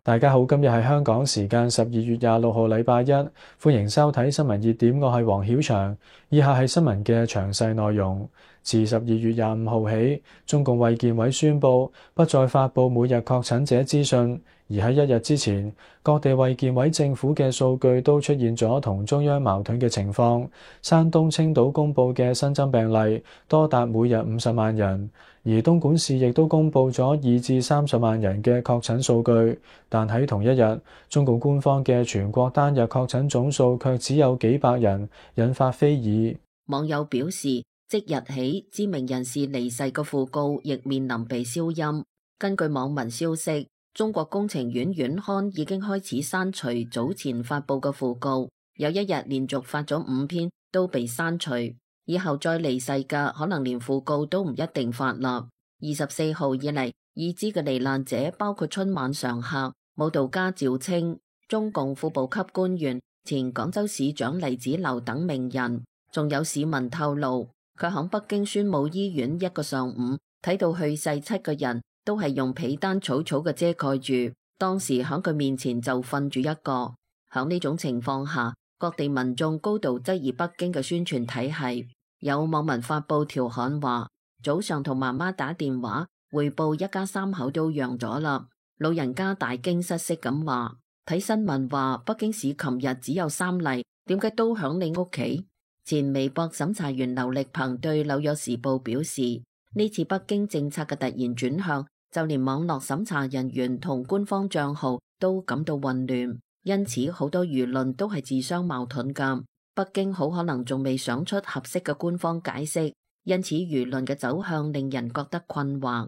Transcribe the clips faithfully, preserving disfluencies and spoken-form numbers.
大家好，今日係香港時間十二月廿六號禮拜一，歡迎收睇新聞熱點，我係黃曉翔。以下係新聞嘅詳細內容。自十二月廿五號起，中共衛健委宣布不再發佈每日確診者資訊，而喺一日之前，各地衛健委政府嘅數據都出現咗同中央矛盾嘅情況。山東青島公佈嘅新增病例多達每日五十萬人，而東莞市亦都公佈咗二至三十萬人嘅確診數據。但喺同一日，中共官方嘅全國單日確診總數卻只有幾百人，引發非議。網友表示，即日起知名人士離世嘅訃告亦面臨被消音。根據網民消息，中國工程院院刊已經開始刪除早前發佈嘅訃告，有一日連續發咗五篇都被刪除，以後再離世嘅可能連訃告都唔一定發啦。二十四號以嚟，已知嘅罹難者包括春晚常客、舞蹈家趙青、中共副部級官員、前廣州市長黎子劉等名人，仲有市民透露，佢響北京宣武醫院一個上午睇到去世七個人都係用被單草草嘅遮蓋住，當時響佢面前就瞓住一個。響呢種情況下，各地民眾高度質疑北京嘅宣傳體系。有網民發布調侃話，早上同媽媽打電話匯報一家三口都陽咗啦，老人家大驚失色咁話，睇新聞話北京市琴日只有三例，點解都響你屋企？前微博審查員劉力鵬對紐約時報表示，呢次北京政策嘅突然轉向，就連網絡審查人員同官方賬號都感到混亂，因此好多輿論都係自相矛盾㗎。北京好可能仲未想出合適嘅官方解釋，因此輿論嘅走向令人覺得困惑。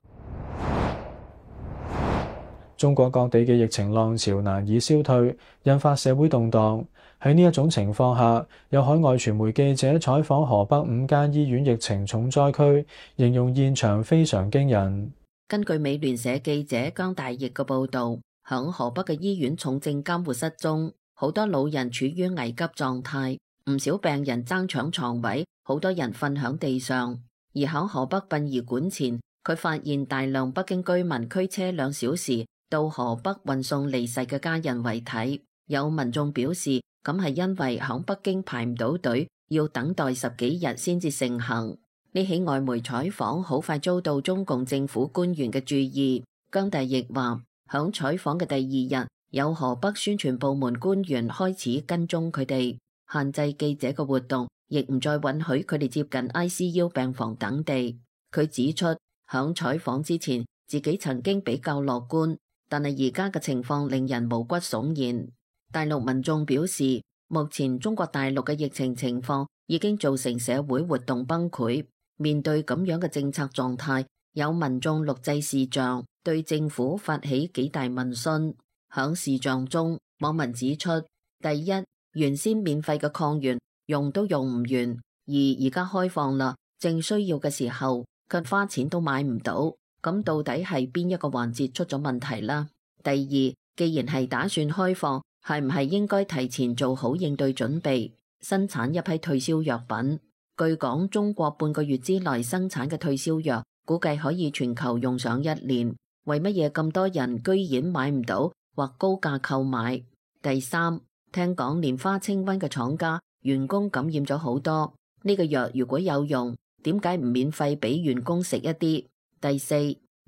中國各地嘅疫情浪潮難以消退，引發社會動盪。喺呢一種情況下，有海外傳媒記者採訪河北五間醫院疫情重災區，形容現場非常驚人。根據美聯社記者姜大奕嘅報導，響河北嘅醫院重症監護室中，好多老人處於危急狀態，唔少病人爭搶床位，好多人瞓響地上。而響河北殯儀館前，佢發現大量北京居民驅車兩小時到河北運送離世嘅家人遺體。有民眾表示，咁係因為響北京排唔到隊，要等待十幾日先至成行。呢起外媒採訪好快遭到中共政府官員嘅注意。姜大奕話，響採訪嘅第二日，有河北宣傳部門官員開始跟蹤佢哋，限制記者嘅活動，亦唔再允許佢哋接近 I C U 病房等地。佢指出，響採訪之前，自己曾經比較樂觀，但係而家嘅情況令人毛骨悚然。大陸民眾表示，目前中國大陸嘅疫情情況已經造成社會活動崩潰。面對咁樣嘅政策狀態，有民眾錄製視像，對政府發起幾大問訊。響視像中，網民指出，第一，原先免費嘅抗原用都用唔完，而而家開放啦，正需要嘅時候，卻花錢都買唔到。咁到底係邊一個環節出咗問題啦？第二，既然係打算開放，係唔係應該提前做好應對準備，生產一批退燒藥品？據講，中國半個月之內生產嘅退燒藥，估計可以全球用上一年。為乜嘢咁多人居然買唔到或高價購買？第三，聽講蓮花清瘟嘅廠家員工感染咗好多，呢個藥如果有用，點解唔免費俾員工食一啲？第四，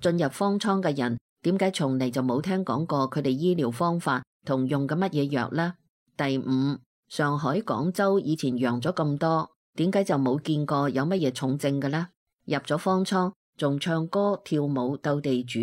進入方艙嘅人，點解從嚟就冇聽講過佢哋醫療方法同用嘅乜嘢藥呢？第五，上海、廣州以前陽咗咁多，點解就冇見過有乜嘢重症嘅呢？入咗方艙仲唱歌跳舞鬥地主，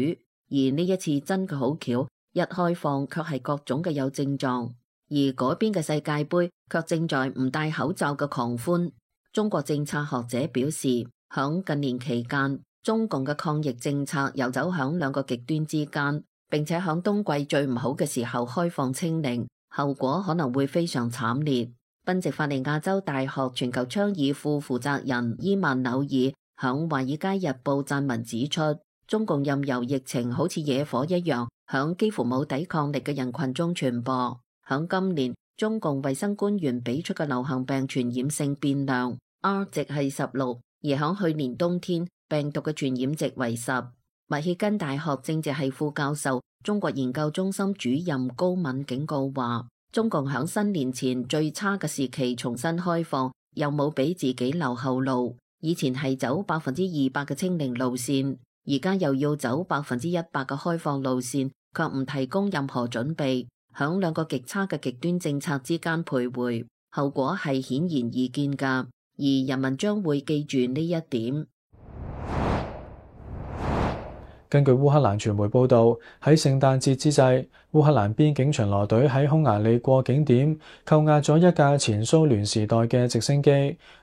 而呢一次真嘅好巧，一開放卻係各種嘅有症狀，而嗰邊嘅世界盃卻正在唔戴口罩嘅狂歡。中國政策學者表示，響近年期間，中共嘅抗疫政策遊走響兩個極端之間，並且響冬季最唔好嘅時候開放清零，後果可能會非常慘烈。賓夕法尼亞州大學全球倡議副負責人伊曼紐爾響《華爾街日報》撰文指出，中共任由疫情好似野火一樣，響幾乎冇抵抗力嘅人群中傳播。響今年，中共衛生官員俾出嘅流行病傳染性變量 R 值係十六，而響去年冬天，病毒嘅傳染值為十。密歇根大學政治系副教授、中國研究中心主任高敏警告話，中共響新年前最差嘅時期重新開放，又冇俾自己留後路。以前係走百分之二百嘅清零路線，而家又要走百分之一百嘅開放路線，卻唔提供任何準備，響兩個極差嘅極端政策之間徘徊，後果係顯然易見㗎，而人民將會記住呢一點。根據烏克蘭傳媒報導，喺聖誕節之際，烏克蘭邊境巡邏隊喺匈牙利過境點扣押咗一架前蘇聯時代嘅直升機。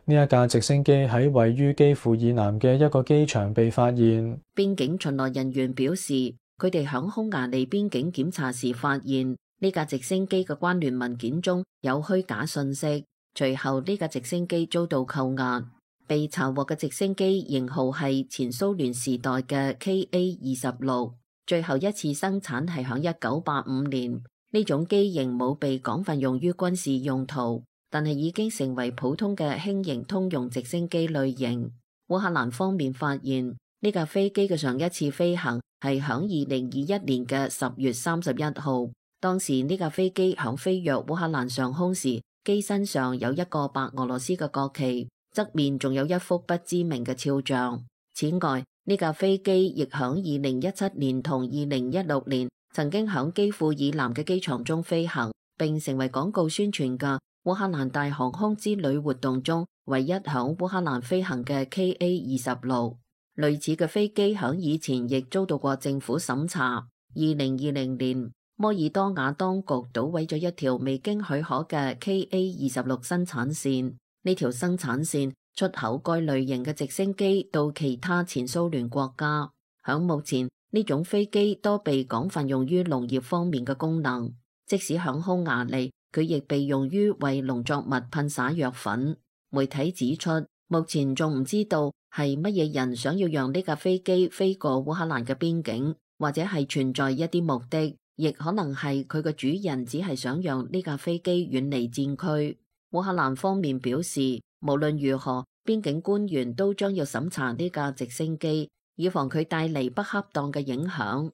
呢一架直升機喺位於基輔以南嘅一個機場被發現。邊境巡邏人員表示，佢哋響匈牙利邊境檢查時發現呢架直升機嘅關聯文件中有虛假信息，隨後呢架直升機遭到扣押。被查獲嘅直升機型號係前蘇聯時代嘅 K A 二十六，最後一次生產係響一九八五年。呢種機型冇被廣泛用於軍事用途，但係已經成為普通嘅輕型通用直升機類型。烏克蘭方面發現呢架飛機嘅上一次飛行係響二零二一年嘅十月三十一號，當時呢架飛機響飛越烏克蘭上空時，機身上有一個白俄羅斯嘅國旗，側面仲有一幅不知名嘅肖像。此外，呢架飛機亦響二零一七年同二零一六年曾經響基輔以南嘅機場中飛行，並成為廣告宣傳嘅烏克蘭大航空之旅活動中唯一響烏克蘭飛行嘅 K A 二十六。類似嘅飛機響以前亦遭到過政府審查。二零二零年，摩爾多瓦當局搗毀咗一條未經許可嘅 K A 二十六生產線。呢條生產線出口該類型嘅直升機到其他前蘇聯國家。響目前，呢種飛機多被廣泛用於農業方面嘅功能，即使響匈牙利，佢亦被用於為農作物噴灑藥粉。媒體指出，目前仲唔知道係乜嘢人想要讓呢架飛機飛過烏克蘭嘅邊境，或者係存在一啲目的，亦可能係佢嘅主人只係想讓呢架飛機遠離戰區。烏克蘭方面表示，無論如何，邊境官員都將要審查呢架直升機，以防佢帶嚟不恰當嘅影響。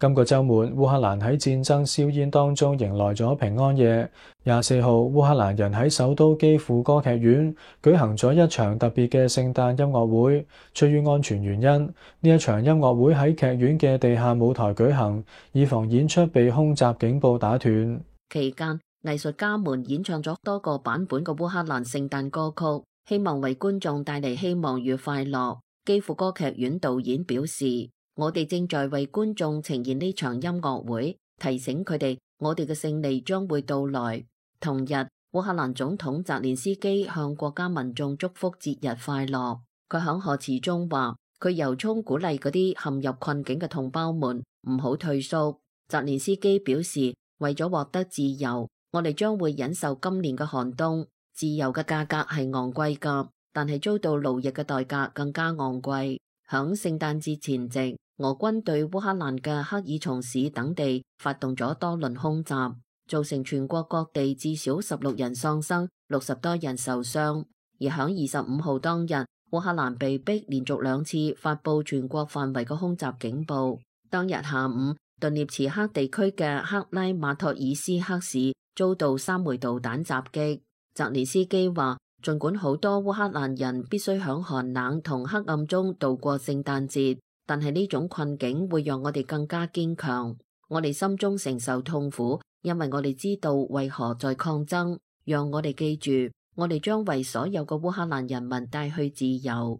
今個週末，烏克蘭喺戰爭硝煙當中迎來咗平安夜。廿四號，烏克蘭人喺首都基輔歌劇院舉行咗一場特別嘅聖誕音樂會。出於安全原因，呢一場音樂會喺劇院嘅地下舞台舉行，以防演出被空襲警報打斷。期間，藝術家們演唱咗多個版本嘅烏克蘭聖誕歌曲，希望為觀眾帶嚟希望與快樂。基輔歌劇院導演表示，我哋正在為觀眾呈現呢場音樂會，提醒佢哋我哋嘅勝利將會到來。同日，烏克蘭總統澤連斯基向國家民眾祝福節日快樂。佢響賀詞中話，佢由衷鼓勵嗰啲陷入困境嘅同胞們唔好退縮。澤連斯基表示，為咗獲得自由，我哋將會忍受今年嘅寒冬。自由嘅價格係昂貴㗎，但係遭到奴役嘅代價更加昂貴。響聖誕節前夕，俄軍對烏克蘭嘅克爾松市等地發動咗多輪空襲，造成全國各地至少十六人喪生，六十多人受傷。而響二十五號當日，烏克蘭被逼連續兩次發佈全國範圍嘅空襲警報。當日下午，頓涅茨克地區嘅克拉馬托爾斯克市遭到三枚導彈襲擊。澤連斯基話，儘管好多烏克蘭人必須響寒冷同黑暗中度過聖誕節，但係呢種困境會讓我哋更加堅強。我哋心中承受痛苦，因為我哋知道為何在抗爭。讓我哋記住，我哋將為所有嘅烏克蘭人民帶去自由。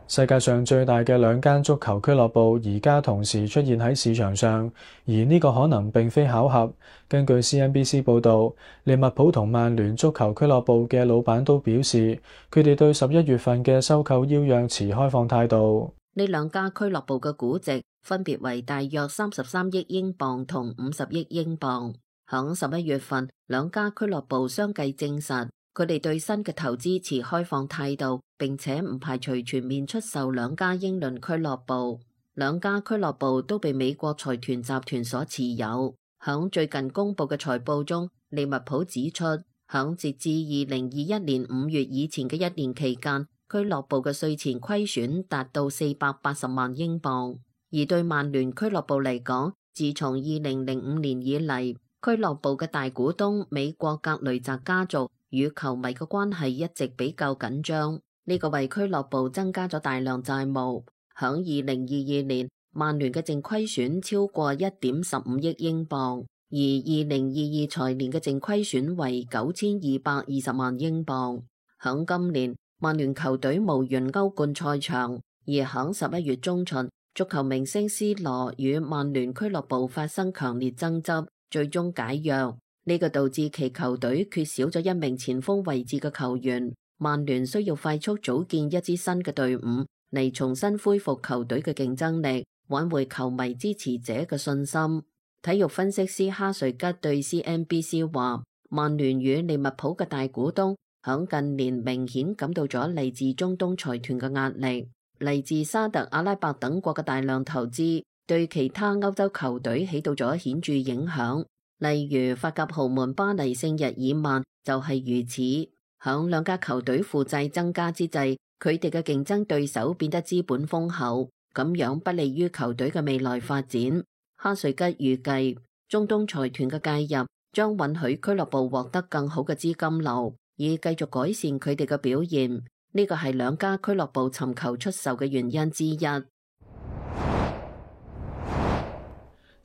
世界上最大嘅兩間足球俱樂部而家同時出現喺市場上，而呢個可能並非巧合。根據 C N B C 報導，利物浦同曼聯足球俱樂部嘅老闆都表示，佢哋對十一月份嘅收購邀約持開放態度。呢兩家俱樂部嘅估值分別為大約三十三億英鎊同五十億英鎊。響十一月份，兩家俱樂部相繼證實，佢哋對新嘅投資持開放態度，並且唔排除全面出售兩家英倫俱樂部。兩家俱樂部都被美國財團集團所持有。響最近公布嘅財報中，利物浦指出，響截至二零二一年五月以前嘅一年期間，俱樂部嘅稅前虧損達到四百八十萬英鎊。而對曼聯俱樂部嚟講，自從二零零五年以嚟，俱樂部嘅大股東美國格雷澤家族與球迷嘅關係一直比較緊張，呢個為俱樂部增加咗大量債務。響二零二二年，曼聯嘅淨虧損超過一點十五億英鎊，而二零二二財年嘅淨虧損為九千二百二十萬英鎊。響今年，曼聯球隊無緣歐冠賽場，而響十一月中旬，足球明星 C 羅與曼聯俱樂部發生強烈爭執，最終解約。呢個導致其球隊缺少咗一名前鋒位置嘅球員，曼聯需要快速組建一支新嘅隊伍嚟重新恢復球隊嘅競爭力，挽回球迷支持者嘅信心。體育分析師哈瑞吉對 C N B C 話，曼聯與利物浦嘅大股東響近年明顯感到咗嚟自中東財團嘅壓力，嚟自沙特阿拉伯等國嘅大量投資對其他歐洲球隊起到咗顯著影響。例如法甲豪門巴黎聖日耳曼就係如此。響兩家球隊負債增加之際，佢哋嘅競爭對手變得資本豐厚，咁樣不利於球隊嘅未來發展。哈瑞吉預計中東財團嘅介入將允許俱樂部獲得更好嘅資金流，以繼續改善佢哋嘅表現。呢個係兩家俱樂部尋求出售嘅原因之一。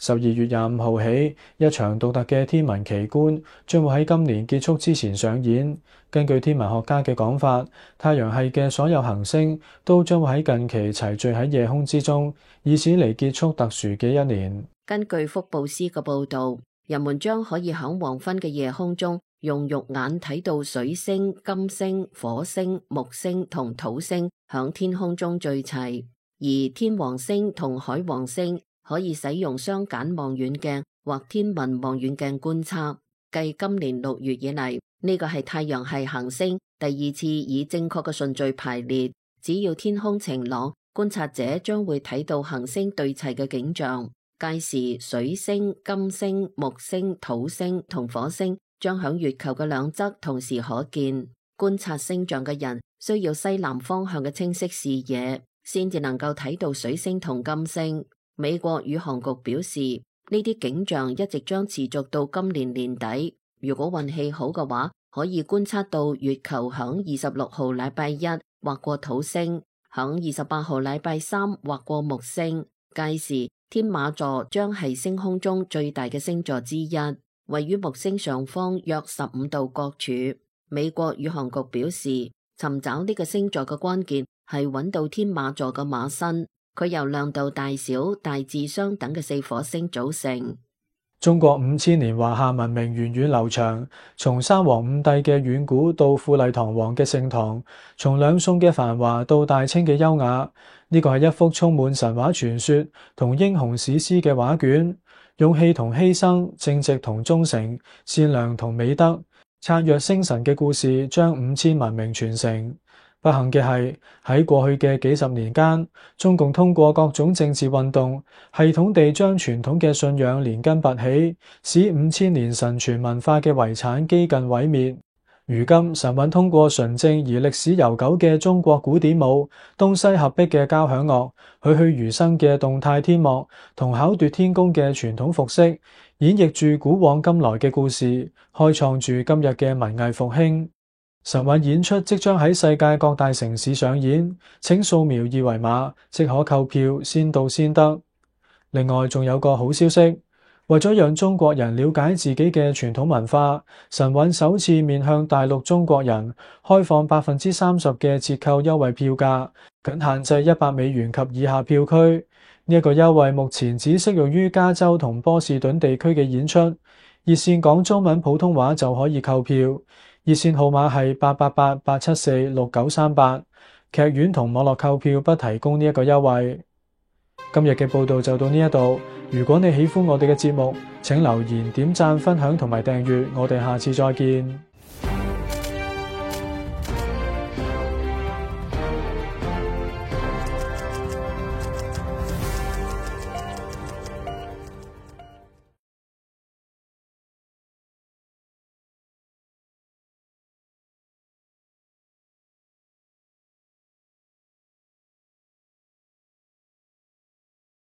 十二月廿五號起，一場獨特嘅天文奇觀將會喺今年結束之前上演。根據天文學家嘅講法，太陽系嘅所有行星都將會喺近期齊聚喺夜空之中，以此嚟結束特殊嘅一年。根據福布斯嘅報導，人們將可以喺黃昏嘅夜空中用肉眼睇到水星、金星、火星、木星同土星響天空中聚齊，而天王星同海王星可以使用雙瞼望遠鏡或天文望遠鏡觀測。繼今年六月以嚟，呢個係太陽系行星第二次以正確嘅順序排列。只要天空晴朗，觀察者將會睇到行星對齊嘅景象。屆時，水星、金星、木星、土星同火星將響月球嘅兩側同時可見。觀察星象嘅人需要西南方向嘅清晰視野，先至能夠睇到水星同金星。美國宇航局表示，呢啲景象一直將持續到今年年底。如果運氣好嘅話，可以觀測到月球響二十六號禮拜一劃過土星，響二十八號禮拜三劃過木星。屆時，天馬座將係星空中最大嘅星座之一，位於木星上方約十五度角處。美國宇航局表示，尋找呢個星座嘅關鍵係揾到天馬座嘅馬身。佢由亮度大小、大致相等嘅四顆星組成。中國五千年華夏文明源遠流長，從三皇五帝嘅遠古到富麗堂皇嘅盛唐，從兩宋嘅繁華到大清嘅優雅。呢個係一幅充滿神話傳說同英雄史詩嘅畫卷，勇氣同犧牲、正直同忠誠、善良同美德、燦若星辰嘅故事，將五千文明傳承。不幸嘅係，喺過去嘅幾十年間，中共通過各種政治運動，系統地將傳統嘅信仰連根拔起，使五千年神傳文化嘅遺產幾近毀滅。如今，神韻通過純正而歷史悠久嘅中國古典舞、東西合璧嘅交響樂、栩栩如生嘅動態天幕同巧奪天工嘅傳統服飾，演繹住古往今來嘅故事，開創住今日嘅文藝復興。神韻演出即將喺世界各大城市上演，請掃描二維碼即可購票，先到先得。另外仲有個好消息，為咗讓中國人了解自己嘅傳統文化，神韻首次面向大陸中國人開放百分之三十嘅折扣優惠票價，僅限制一百美元及以下票區。呢一個優惠目前只適用於加州同波士頓地區嘅演出，熱線講中文普通話就可以購票。熱線號碼係八八八八七四六九三八，劇院同網絡購票不提供呢一個優惠。今日嘅報道就到呢一度，如果你喜歡我哋嘅節目，請留言、點讚、分享同埋訂閱，我哋下次再見。